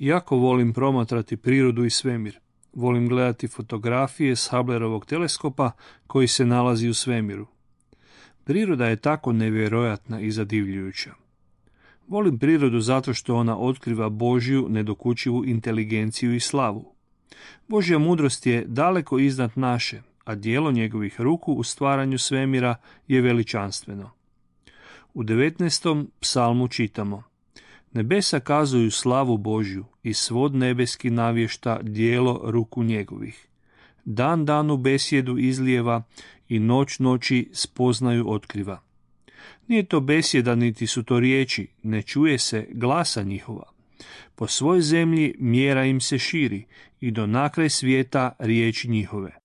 Jako volim promatrati prirodu i svemir. Volim gledati fotografije s Hubblerovog teleskopa koji se nalazi u svemiru. Priroda je tako nevjerojatna i zadivljujuća. Volim prirodu zato što ona otkriva Božju nedokučivu inteligenciju i slavu. Božja mudrost je daleko iznad naše, a djelo njegovih ruku u stvaranju svemira je veličanstveno. U 19. psalmu čitamo: Nebesa kazuju slavu Božju i svod nebeski navješta djelo ruku njegovih. Dan danu besjedu izlijeva i noć noći spoznaju otkriva. Nije to besjeda niti su to riječi, ne čuje se glasa njihova. Po svoj zemlji mjera im se širi i do nakraj svijeta riječi njihove.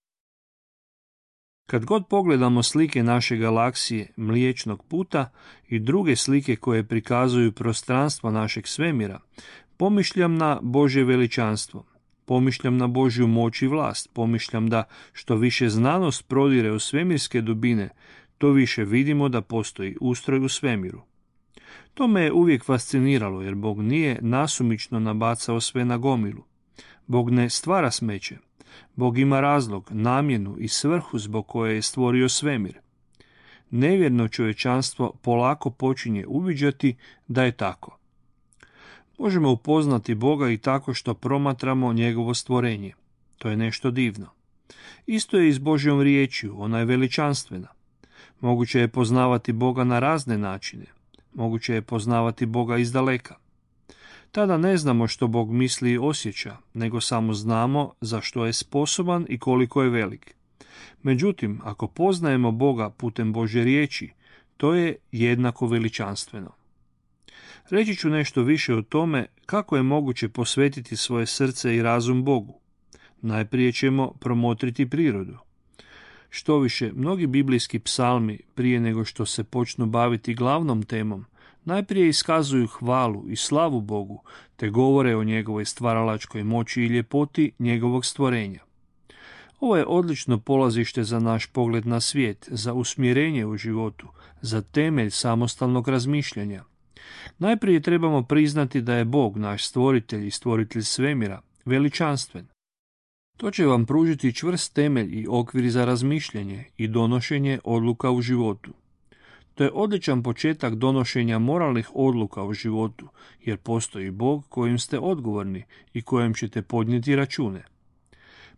Kad god pogledamo slike naše galaksije, Mliječnog puta i druge slike koje prikazuju prostranstvo našeg svemira, pomišljam na Božje veličanstvo, pomišljam na Božju moć i vlast, pomišljam da što više znanost prodire u svemirske dubine, to više vidimo da postoji ustroj u svemiru. To me je uvijek fasciniralo, jer Bog nije nasumično nabacao sve na gomilu. Bog ne stvara smeće. Bog ima razlog, namjenu i svrhu zbog koje je stvorio svemir. Nevjerno čovječanstvo polako počinje uviđati da je tako. Možemo upoznati Boga i tako što promatramo njegovo stvorenje. To je nešto divno. Isto je i s Božjom riječju, ona je veličanstvena. Moguće je poznavati Boga na razne načine. Moguće je poznavati Boga izdaleka. Tada ne znamo što Bog misli i osjeća, nego samo znamo za što je sposoban i koliko je velik. Međutim, ako poznajemo Boga putem Božje riječi, to je jednako veličanstveno. Reći ću nešto više o tome kako je moguće posvetiti svoje srce i razum Bogu. Najprije ćemo promotriti prirodu. Štoviše, mnogi biblijski psalmi, prije nego što se počnu baviti glavnom temom, najprije iskazuju hvalu i slavu Bogu, te govore o njegovoj stvaralačkoj moći i ljepoti njegovog stvorenja. Ovo je odlično polazište za naš pogled na svijet, za usmjerenje u životu, za temelj samostalnog razmišljanja. Najprije trebamo priznati da je Bog, naš stvoritelj i stvoritelj svemira, veličanstven. To će vam pružiti čvrst temelj i okvir za razmišljanje i donošenje odluka u životu. To je odličan početak donošenja moralnih odluka u životu, jer postoji Bog kojim ste odgovorni i kojem ćete podnijeti račune.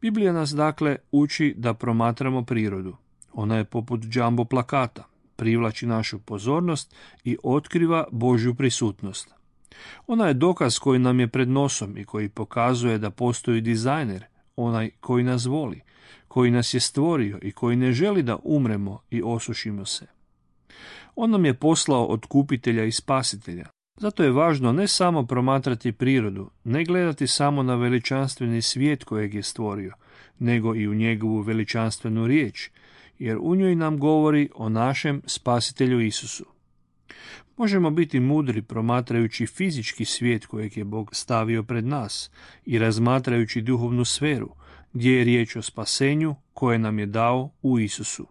Biblija nas dakle uči da promatramo prirodu. Ona je poput džambo plakata, privlači našu pozornost i otkriva Božju prisutnost. Ona je dokaz koji nam je pred nosom i koji pokazuje da postoji dizajner, onaj koji nas voli, koji nas je stvorio i koji ne želi da umremo i osušimo se. On nam je poslao otkupitelja i spasitelja. Zato je važno ne samo promatrati prirodu, ne gledati samo na veličanstveni svijet kojeg je stvorio, nego i u njegovu veličanstvenu riječ, jer u njoj nam govori o našem spasitelju Isusu. Možemo biti mudri promatrajući fizički svijet kojeg je Bog stavio pred nas i razmatrajući duhovnu sferu, gdje je riječ o spasenju koje nam je dao u Isusu.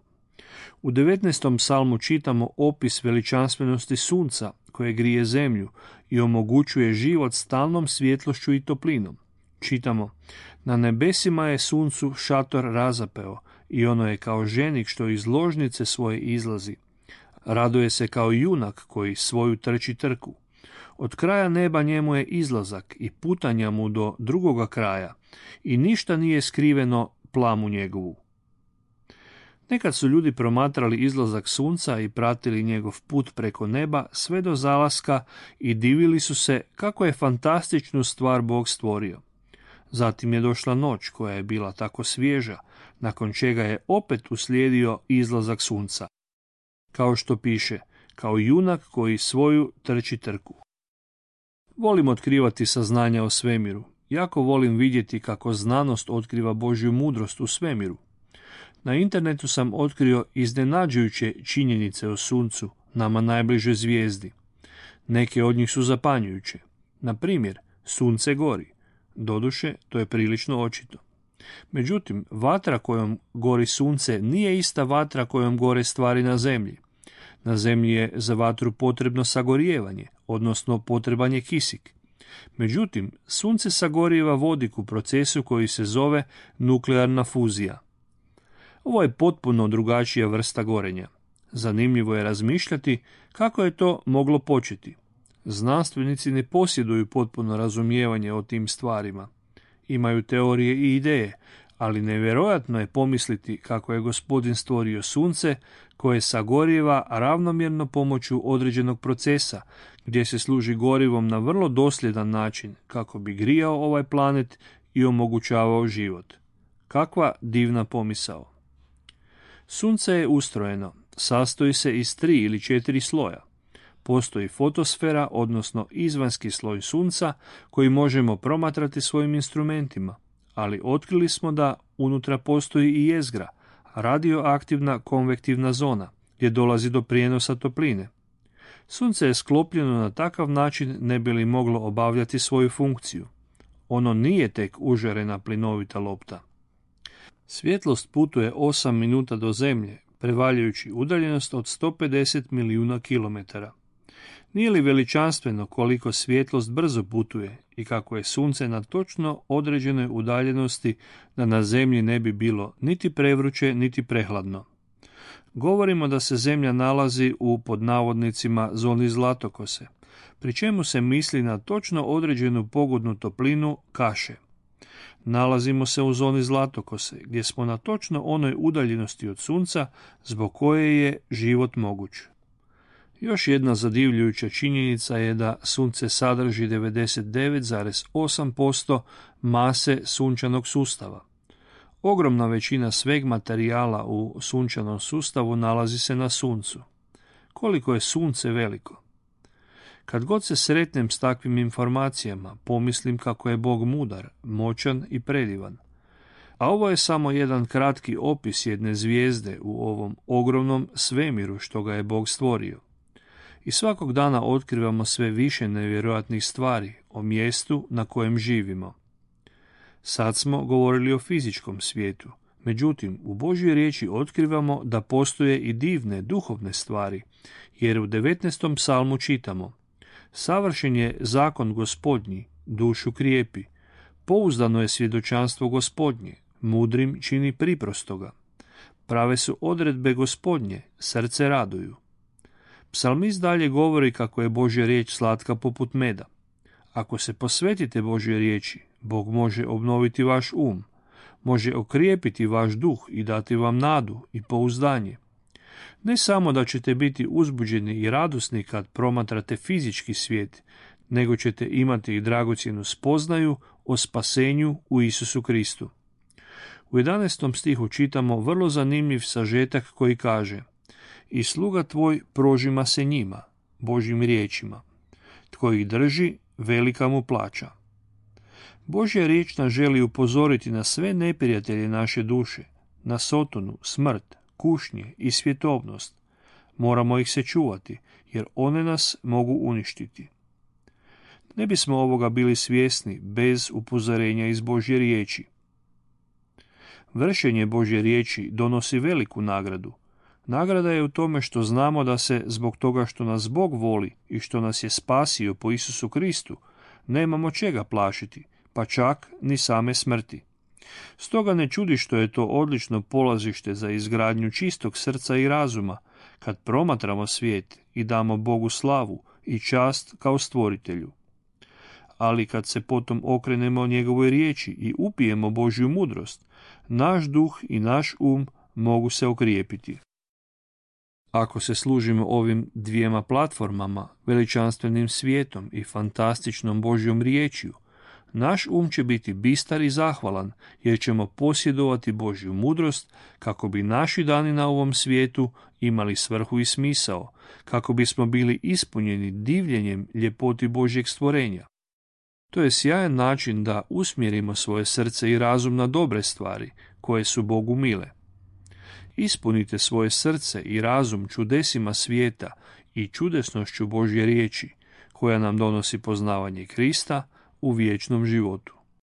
U 19. psalmu čitamo opis veličanstvenosti sunca koje grije zemlju i omogućuje život stalnom svjetlošću i toplinom. Čitamo: Na nebesima je suncu šator razapeo i ono je kao ženik što iz ložnice svoje izlazi. Raduje se kao junak koji svoju trči trku. Od kraja neba njemu je izlazak i putanja mu do drugoga kraja i ništa nije skriveno plamu njegovu. Nekad su ljudi promatrali izlazak sunca i pratili njegov put preko neba sve do zalaska i divili su se kako je fantastičnu stvar Bog stvorio. Zatim je došla noć koja je bila tako svježa, nakon čega je opet uslijedio izlazak sunca. Kao što piše, kao junak koji svoju trči trku. Volim otkrivati saznanja o svemiru. Jako volim vidjeti kako znanost otkriva Božju mudrost u svemiru. Na internetu sam otkrio iznenađujuće činjenice o suncu, nama najbližoj zvijezdi. Neke od njih su zapanjujuće. Na primjer, sunce gori. Doduše, to je prilično očito. Međutim, vatra kojom gori sunce nije ista vatra kojom gore stvari na zemlji. Na zemlji je za vatru potrebno sagorijevanje, odnosno potreban je kisik. Međutim, sunce sagorijeva vodik u procesu koji se zove nuklearna fuzija. Ovo je potpuno drugačija vrsta gorenja. Zanimljivo je razmišljati kako je to moglo početi. Znanstvenici ne posjeduju potpuno razumijevanje o tim stvarima. Imaju teorije i ideje, ali nevjerojatno je pomisliti kako je Gospodin stvorio sunce koje sagorijeva ravnomjerno pomoću određenog procesa, gdje se služi gorivom na vrlo dosljedan način kako bi grijao ovaj planet i omogućavao život. Kakva divna pomisao! Sunce je ustrojeno, sastoji se iz 3 ili 4 sloja. Postoji fotosfera, odnosno izvanjski sloj sunca, koji možemo promatrati svojim instrumentima, ali otkrili smo da unutra postoji i jezgra, radioaktivna konvektivna zona, gdje dolazi do prijenosa topline. Sunce je sklopljeno na takav način ne bi li moglo obavljati svoju funkciju. Ono nije tek užarena plinovita lopta. Svjetlost putuje 8 minuta do Zemlje, prevaljujući udaljenost od 150 milijuna kilometara. Nije li veličanstveno koliko svjetlost brzo putuje i kako je sunce na točno određenoj udaljenosti da na Zemlji ne bi bilo niti prevruće niti prehladno? Govorimo da se Zemlja nalazi u pod navodnicima zoni zlatokose, pri čemu se misli na točno određenu pogodnu toplinu kaše. Nalazimo se u zoni zlatokose, gdje smo na točno onoj udaljenosti od sunca zbog koje je život moguć. Još jedna zadivljujuća činjenica je da sunce sadrži 99,8% mase sunčanog sustava. Ogromna većina sveg materijala u sunčanom sustavu nalazi se na suncu. Koliko je sunce veliko? Kad god se sretnem s takvim informacijama, pomislim kako je Bog mudar, moćan i predivan. A ovo je samo jedan kratki opis jedne zvijezde u ovom ogromnom svemiru što ga je Bog stvorio. I svakog dana otkrivamo sve više nevjerojatnih stvari o mjestu na kojem živimo. Sad smo govorili o fizičkom svijetu, međutim u Božjoj riječi otkrivamo da postoje i divne duhovne stvari, jer u 19. psalmu čitamo: savršen je zakon Gospodnji, dušu krijepi, pouzdano je svjedočanstvo Gospodnje, mudrim čini priprostoga. Prave su odredbe Gospodnje, srce raduju. Psalmist dalje govori kako je Božja riječ slatka poput meda. Ako se posvetite Božjoj riječi, Bog može obnoviti vaš može okrijepiti vaš duh i dati vam nadu i pouzdanje. Ne samo da ćete biti uzbuđeni i radosni kad promatrate fizički svijet, nego ćete imati i dragocjenu spoznaju o spasenju u Isusu Kristu. U 11. stihu čitamo vrlo zanimljiv sažetak koji kaže: i sluga tvoj prožima se njima, Božjim riječima. Tko ih drži, velika mu plaća. Božja riječ nas želi upozoriti na sve neprijatelje naše duše, na sotonu, smrt, kušnje i svjetovnost. Moramo ih se čuvati, jer one nas mogu uništiti. Ne bismo ovoga bili svjesni bez upozorenja iz Božje riječi. Vršenje Božje riječi donosi veliku nagradu. Nagrada je u tome što znamo da se zbog toga što nas Bog voli i što nas je spasio po Isusu Kristu, nemamo čega plašiti, pa čak ni same smrti. Stoga ne čudi što je to odlično polazište za izgradnju čistog srca i razuma, kad promatramo svijet i damo Bogu slavu i čast kao stvoritelju. Ali kad se potom okrenemo njegovoj riječi i upijemo Božju mudrost, naš duh i naš mogu se okrijepiti. Ako se služimo ovim dvijema platformama, veličanstvenim svijetom i fantastičnom Božjom riječju, naš će biti bistar i zahvalan, jer ćemo posjedovati Božju mudrost kako bi naši dani na ovom svijetu imali svrhu i smisao, kako bismo bili ispunjeni divljenjem ljepoti Božjeg stvorenja. To je sjajan način da usmjerimo svoje srce i razum na dobre stvari, koje su Bogu mile. Ispunite svoje srce i razum čudesima svijeta i čudesnošću Božje riječi, koja nam donosi poznavanje Krista u vječnom životu.